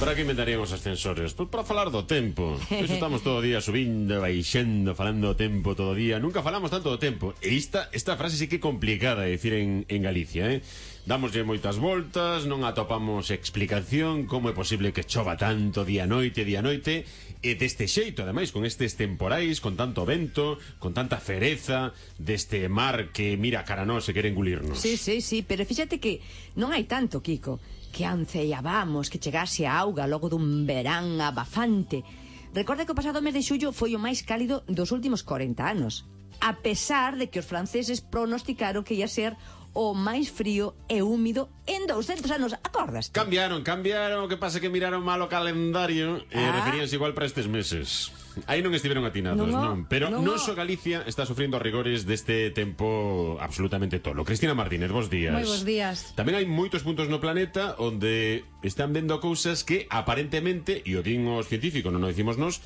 Para que inventarían os ascensores? Pois para falar do tempo. Eso estamos todo o día subindo, baixando, falando do tempo todo o día. Nunca falamos tanto do tempo. E esta frase sí que é complicada de dicir en Galicia, Dámoslle moitas voltas, non atopamos explicación como é posible que chova tanto día e noite, e deste xeito, ademais, con estes temporais, con tanto vento, con tanta fereza, deste mar que mira cara a nós e quere engulirnos. Sí, pero fíxate que non hai tanto, Kiko, que anceábamos que chegase a auga logo dun verán abafante. Recorda que o pasado mes de xullo foi o máis cálido dos últimos 40 anos, a pesar de que os franceses pronosticaron que ia ser o máis frío e húmido en 200 anos, acordas? Cambiaron, o que pasa que miraron mal o calendario e referíanse igual para estes meses. Aí non estiveron atinados, non? Pero non só Galicia está sufrindo rigores deste tempo absolutamente tolo. Cristina Martínez, bos días. Moi bos días. Tamén hai moitos puntos no planeta onde están vendo cousas que aparentemente, e o din os científicos, non o dicimos nós,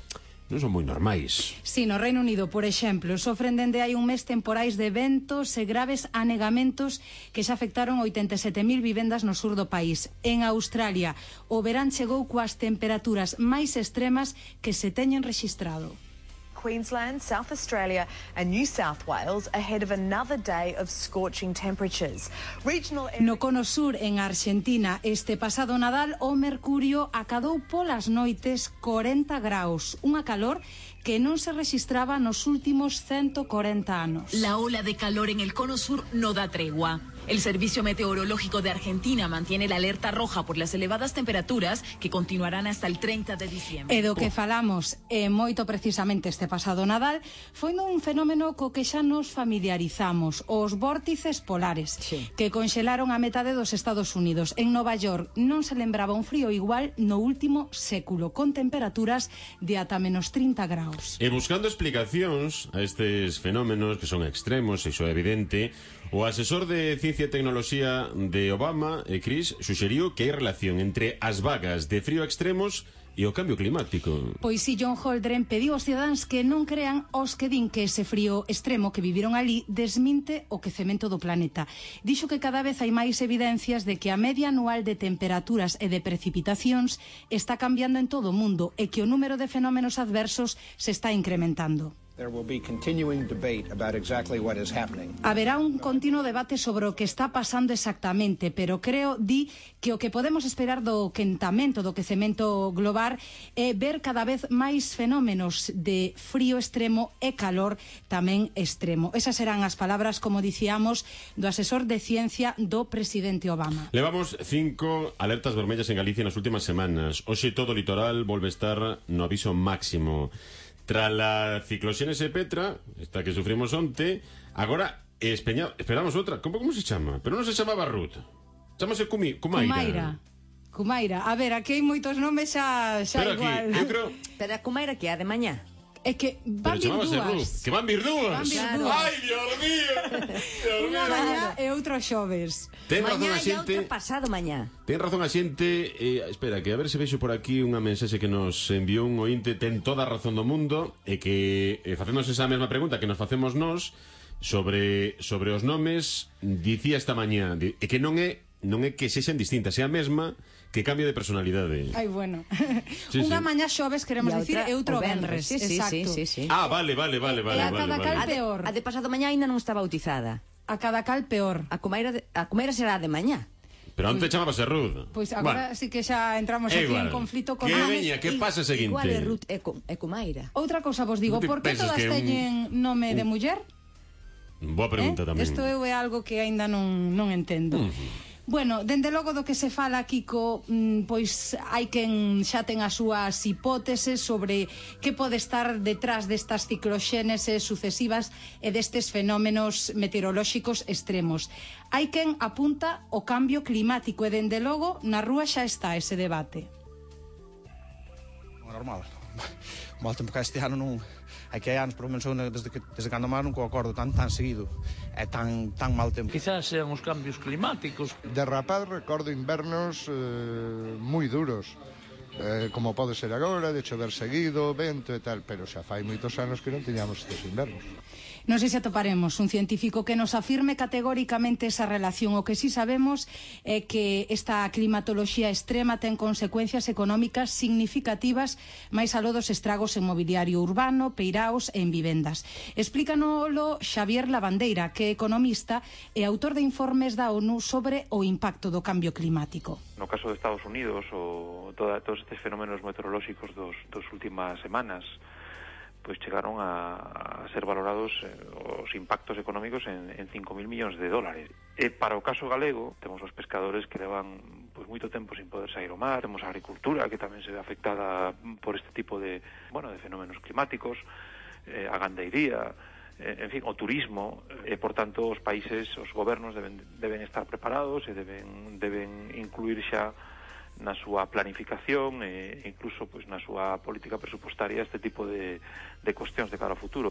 non son moi normais. Sí, no Reino Unido, por exemplo, sofren dende hai un mes temporais de ventos e graves anegamentos que xa afectaron 87.000 vivendas no sur do país. En Australia, o verán chegou coas temperaturas máis extremas que se teñen rexistrado. Queensland, South Australia and New South Wales ahead of another day of scorching temperatures. No cono sur, en Argentina, este pasado Nadal, o mercurio acadou polas noites 40 graus, unha calor que non se registraba nos últimos 140 anos. La ola de calor en el cono sur no da tregua. El Servicio Meteorológico de Argentina mantiene la alerta roja por las elevadas temperaturas que continuarán hasta el 30 de diciembre. E do que falamos, moito precisamente este pasado Nadal, foi un fenómeno co que xa nos familiarizamos, os vórtices polares, que conxelaron a metade dos Estados Unidos. En Nova York non se lembraba un frío igual no último século, con temperaturas de ata menos 30 graus. E buscando explicacións a estes fenómenos que son extremos, iso é evidente, o asesor de Ciencia e Tecnoloxía de Obama, Chris, suxeriu que hai relación entre as vagas de frío extremos e o cambio climático. Pois si, John Holdren pediu aos cidadáns que non crean os que din que ese frío extremo que viviron ali desminte o quecemento do planeta. Dixo que cada vez hai máis evidencias de que a media anual de temperaturas e de precipitacións está cambiando en todo o mundo e que o número de fenómenos adversos se está incrementando. Haberá un continuo debate sobre o que está pasando exactamente, pero creo, que o que podemos esperar do quentamento, do quecemento global é ver cada vez máis fenómenos de frío extremo e calor tamén extremo. Esas serán as palabras, como dicíamos, do asesor de ciencia do presidente Obama. Levamos 5 alertas vermellas en Galicia nas últimas semanas. Hoxe todo o litoral volve estar no aviso máximo. Tras la cicloxénese Petra, esta que sufrimos onte, agora esperamos outra. Como se chama? Pero non se chamaba Ruth. Chámase Cumaira. Cumaira. A ver, aquí hai moitos nomes xa pero igual. Aquí, eu creo... Pero a Cumaira que é a de mañá. É que van vir dúas. Que van vir dúas. Ai, Dios mío. Unha mañá e outro xoves. Ten razón mañá a xente. e outro pasado mañá. Ten razón a xente. Espera, que a ver se vexo por aquí unha mensaxe que nos enviou un ointe. Ten toda a razón do mundo. E que facemos esa mesma pregunta que nos facemos nós sobre os nomes. Dicía esta mañá e que non é que sexan distintas, é a mesma, que cambia de personalidade. Ai, bueno. Unha mañá xoves, queremos dicir, e outro venres. Exacto. Sí. Ah, vale. E a cada cal peor. A de pasado mañá ainda non está bautizada. A cada cal peor. A Cumaira será a de mañá. Pero antes chamábase Ruth. Pois agora sí que xa entramos aquí en conflito con que veña, que pasa seguinte? Igual é Ruth e Cumaira. Outra cousa vos digo, por que todas teñen nome de muller? Boa pregunta tamén. Isto é algo que aínda non entendo. Bueno, dende logo do que se fala, Kiko, pois hai quen xa ten as súas hipóteses sobre que pode estar detrás destas cicloxéneses sucesivas e destes fenómenos meteorolóxicos extremos. Hai quen apunta o cambio climático e dende logo na rúa xa está ese debate. Normal. Mal tempo que este ano non... Hai que hai anos, por menos desde cando máis nunca o acordo tan seguido e tan mal tempo. Quizás sean os cambios climáticos. De rapaz recordo invernos moi duros, como pode ser agora, de chover seguido, vento e tal, pero xa fai moitos anos que non tiñamos estes invernos. Non sei se atoparemos un científico que nos afirme categóricamente esa relación. O que sí sabemos é que esta climatoloxía extrema ten consecuencias económicas significativas máis aló dos estragos en mobiliario urbano, peiraos e en vivendas. Explícanolo Xavier Lavandeira, que é economista e autor de informes da ONU sobre o impacto do cambio climático. No caso de Estados Unidos, todos estes fenómenos meteorolóxicos dos últimas semanas pois chegaron a ser valorados os impactos económicos en 5.000 millóns de dólares. E para o caso galego, temos os pescadores que levan pois moito tempo sin poder sair ao mar, temos a agricultura que tamén se ve afectada por este tipo de fenómenos climáticos, a gandeiría, en fin, o turismo, e por tanto os países, os gobernos deben estar preparados e deben incluir xa na súa planificación e incluso pois na súa política presupostaria este tipo de cuestións de cara ao futuro.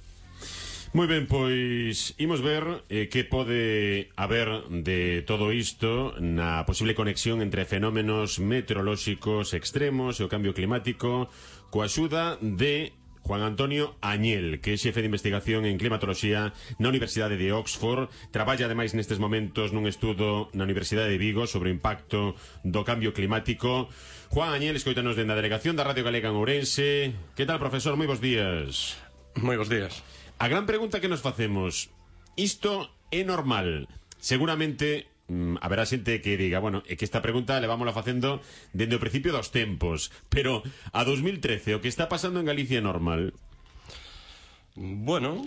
Moi ben, pois imos ver que pode haber de todo isto na posible conexión entre fenómenos meteorolóxicos extremos e o cambio climático coa axuda de Juan Antonio Añel, que é xefe de investigación en climatoloxía na Universidade de Oxford. Traballa ademais nestes momentos nun estudo na Universidade de Vigo sobre o impacto do cambio climático. Juan Añel, escoítanos dende a delegación da Radio Galega en Ourense. Que tal, profesor? Moi bons días. Moi bons días. A gran pregunta que nos facemos: isto é normal? Seguramente haberá xente que diga, bueno, é que esta pregunta levámola facendo dende o principio dos tempos, pero a 2013 o que está pasando en Galicia é normal? Bueno,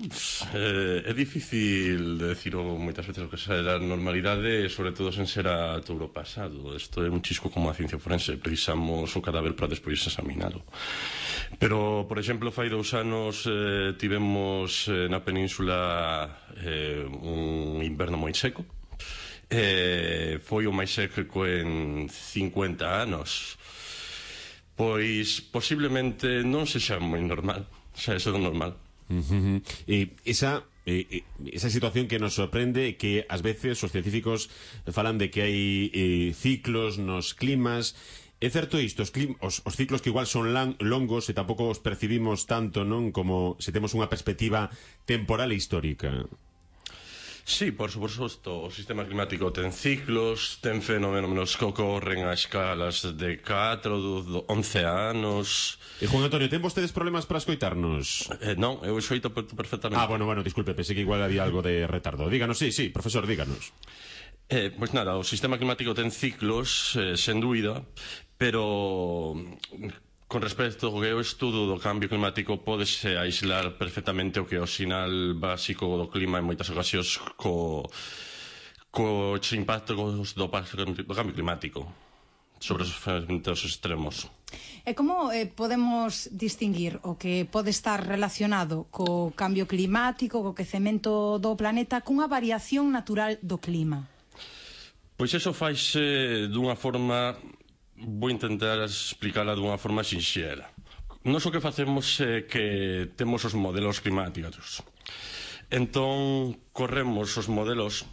é difícil decir moitas veces o que será normalidade, sobre todo sen ser a touro pasado. Isto é un chisco como a ciencia forense, precisamos o cadáver para despois examinalo. Pero, por exemplo, fai 2 anos tivemos na península un inverno moi seco. Foi o máis seco en 50 anos. Pois posiblemente non sexa moi normal, xa é normal. E esa situación que nos sorprende, que ás veces os científicos falan de que hai ciclos nos climas. É certo isto, os ciclos que igual son longos e tampouco os percibimos tanto, non, como se temos unha perspectiva temporal e histórica. Sí, por suposto, o sistema climático ten ciclos, ten fenómenos que ocorren a escalas de 4, 11 anos. E Juan Antonio, ten vostedes problemas para escoitarnos? Non, eu escoito perfectamente. Bueno, disculpe, pensei que igual había algo de retardo. Díganos, sí, profesor, díganos. Pois nada, o sistema climático ten ciclos, sen dúbida, pero con respecto ao que é o estudo do cambio climático, pódese aislar perfectamente o que é o sinal básico do clima en moitas ocasións co impacto do cambio climático sobre os fenómenos extremos. E como podemos distinguir o que pode estar relacionado co cambio climático, co quecemento do planeta, cunha variación natural do clima? Pois eso faise dunha forma... Vou intentar explicarla dunha forma sinxela. Nós o que facemos é que temos os modelos climáticos. Entón, corremos os modelos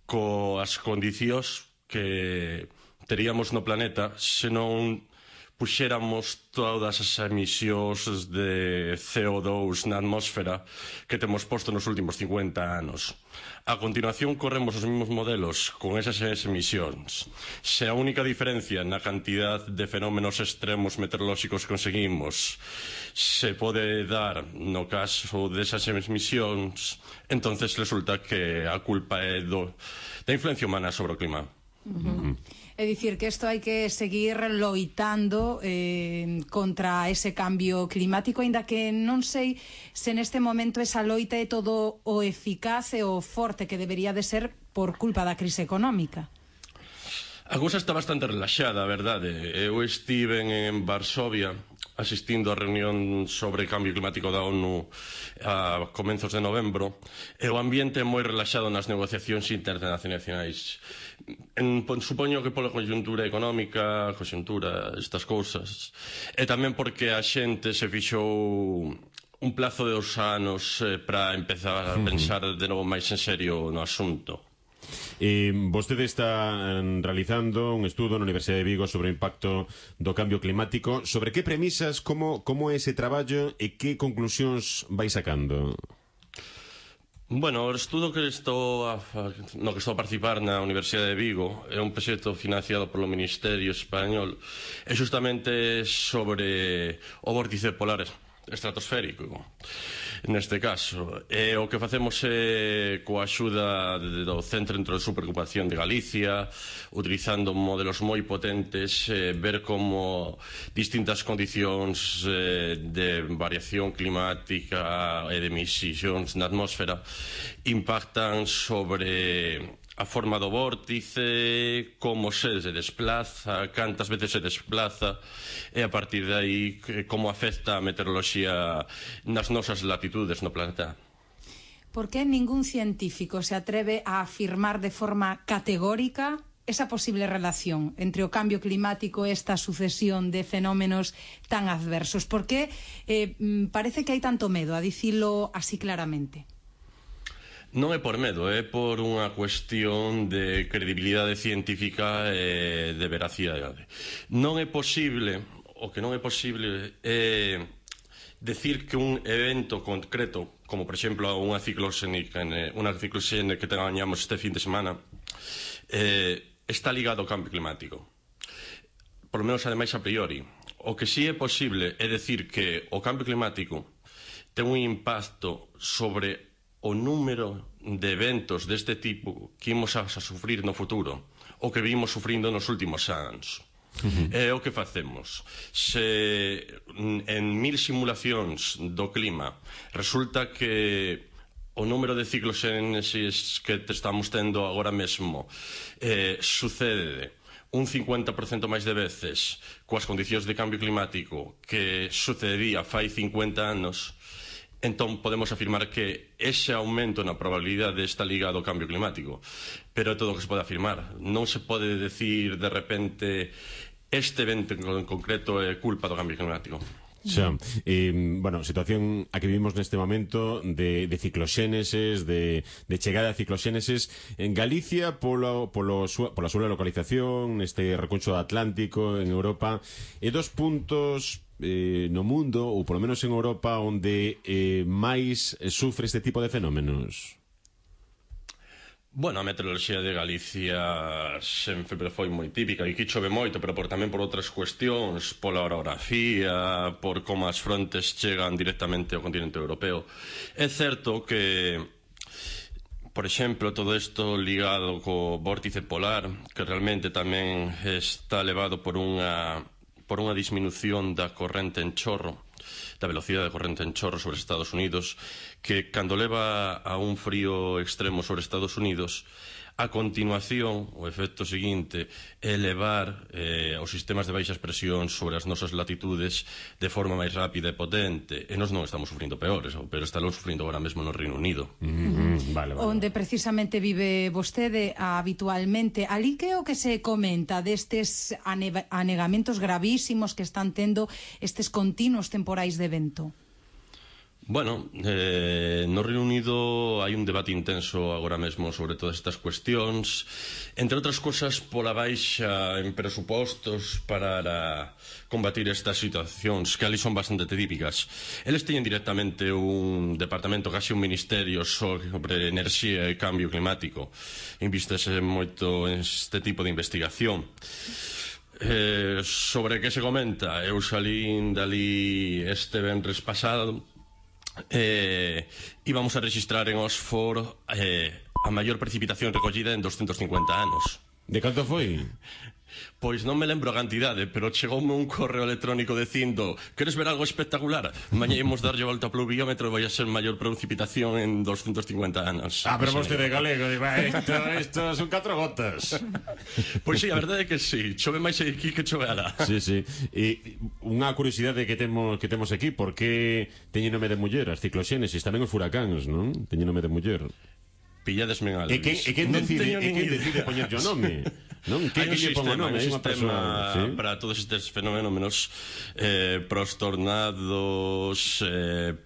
coas condicións que teríamos no planeta se non puxéramos todas as emisións de CO2 na atmósfera que temos posto nos últimos 50 anos. A continuación, corremos os mesmos modelos con esas emisións. Se a única diferencia na cantidad de fenómenos extremos meteorolóxicos que conseguimos se pode dar no caso desas emisións, entonces resulta que a culpa é da influencia humana sobre o clima. É dicir, que isto hai que seguir loitando contra ese cambio climático, aínda que non sei se neste momento esa loita é todo o eficaz e o forte que debería de ser por culpa da crise económica. A cousa está bastante relaxada, a verdade. Eu estive en Varsovia asistindo á reunión sobre cambio climático da ONU a comenzos de novembro, e o ambiente é moi relaxado nas negociacións internacionais. Supoño que pola conxuntura económica, estas cousas, e tamén porque a xente se fixou un plazo de 2 anos para empezar a pensar de novo máis en serio no asunto. Vostede está realizando un estudo na Universidade de Vigo sobre o impacto do cambio climático. Sobre que premisas, como é ese traballo e que conclusións vai sacando? Bueno, o estudo no que estou a participar na Universidade de Vigo é un proxecto financiado polo Ministerio Español, é justamente sobre o vórtice polar estratosférico, neste caso. E o que facemos é, coa axuda do Centro de Superocupación de Galicia, utilizando modelos moi potentes, ver como distintas condicións de variación climática e de emisións na atmósfera impactan sobre a forma do vórtice, como se desplaza, cantas veces se desplaza, e a partir de aí como afecta a meteoroloxía nas nosas latitudes no planeta. Por que ningún científico se atreve a afirmar de forma categórica esa posible relación entre o cambio climático e esta sucesión de fenómenos tan adversos? Por que parece que hai tanto medo a dicilo así claramente? Non é por medo, é por unha cuestión de credibilidade científica e de veracidade. Non é posible, o que non é posible é decir que un evento concreto, como por exemplo unha cicloxene que teñamos este fin de semana, está ligado ao cambio climático. Por lo menos, ademais, a priori. O que sí é posible é decir que o cambio climático ten un impacto sobre o número de eventos deste tipo que imos a sufrir no futuro, o que vimos sufrindo nos últimos anos. É o que facemos. Se en 1000 simulacións do clima resulta que o número de cicloxénesis que estamos tendo agora mesmo sucede un 50% máis de veces coas condicións de cambio climático que sucedía fai 50 anos, entón podemos afirmar que ese aumento na probabilidade está ligado ao cambio climático. Pero é todo o que se pode afirmar. Non se pode decir de repente este evento en concreto é culpa do cambio climático. Xa, bueno, situación a que vivimos neste momento de cicloxéneses, de chegada a cicloxéneses en Galicia pola súa localización neste recuncho atlántico en Europa, e dos puntos no mundo, ou polo menos en Europa, onde máis sufre este tipo de fenómenos? Bueno, a meteoroloxía de Galicia sempre foi moi típica, e aquí chove moito, pero tamén por outras cuestións, pola orografía, por como as frontes chegan directamente ao continente europeo. É certo que, por exemplo, todo isto ligado co vórtice polar, que realmente tamén está levado por unha disminución da corrente en chorro, da velocidade de corrente en chorro sobre Estados Unidos, que cando leva a un frío extremo sobre Estados Unidos, a continuación, o efecto seguinte é levar os sistemas de baixas presións sobre as nosas latitudes de forma máis rápida e potente, e nós non estamos sufrindo peores, pero estamos sufrindo agora mesmo no Reino Unido. Vale. Onde precisamente vive vostede habitualmente. Ali que o que se comenta destes anegamentos gravísimos que están tendo estes continuos temporais de vento? Bueno, no Reino Unido hai un debate intenso agora mesmo sobre todas estas cuestións, entre outras cosas pola baixa en presupostos para combatir estas situacións que ali son bastante típicas. Eles teñen directamente un departamento, casi un ministerio sobre enerxía e cambio climático. Invistese moito en este tipo de investigación. Sobre que se comenta, eu salín dali este venres pasado, íbamos a registrar en Oxford a maior precipitación recollida en 250 anos. De canto foi? Pois non me lembro a cantidade, pero chegoume un correo electrónico dicindo: queres ver algo espectacular? Mañá imos darlle volta ao pluviómetro e vai a ser maior precipitación en 250 anos. Pero vostede galego, isto son 4 gotas. Pois sí, a verdade é que sí, chove máis aquí que chove alá. Sí. E unha curiosidade que temos aquí, por que teñen nome de muller as cicloxénesis, tamén os furacáns, non? Teñen nome de muller. Pilladesme en algo. E quen decide poñerlle o nome? Hai un sistema para todos estes fenómenos, para os tornados,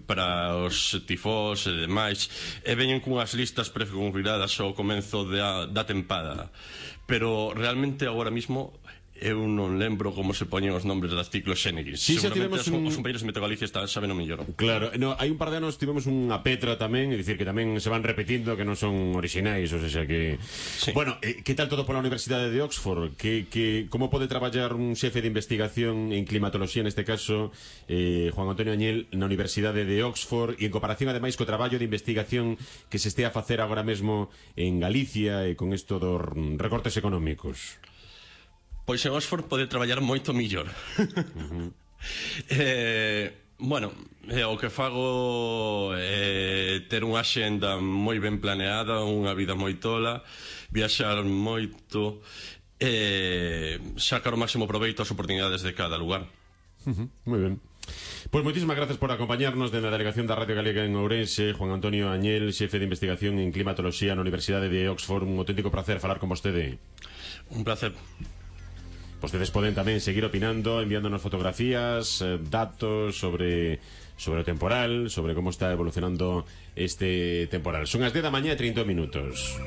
para os tifós e demais, e veñen cunhas listas preconfiguradas ao comenzo da tempada. Pero realmente agora mismo eu non lembro como se poñen os nombres das cicloxénicos. Sí, seguramente os compañeros de Meteo Galicia saben o mellor. Claro, no, hai un par de anos tivemos unha Petra tamén, é dicir que tamén se van repetindo, que non son orixinais, ou sea que... Sí. Bueno, que tal todo pola Universidade de Oxford? Como pode traballar un xefe de investigación en climatoloxía, neste caso, Juan Antonio Añel, na Universidade de Oxford, e en comparación ademais co traballo de investigación que se estea a facer agora mesmo en Galicia e con isto dos recortes económicos? Pois en Oxford pode traballar moito millor. Bueno, o que fago é ter unha xenda moi ben planeada, unha vida moi tola, viaxar moito, sacar o máximo proveito ás oportunidades de cada lugar. Moi ben. Pois moitísimas gracias por acompañarnos dende a Delegación da Radio Galega en Ourense, Juan Antonio Añel, xefe de investigación en climatoloxía na Universidade de Oxford. Un auténtico placer falar con vostede. Un placer. Vostedes poden tamén seguir opinando, enviándonos fotografías, datos sobre o temporal, sobre como está evolucionando este temporal. Son as 10 da mañá e 30 minutos.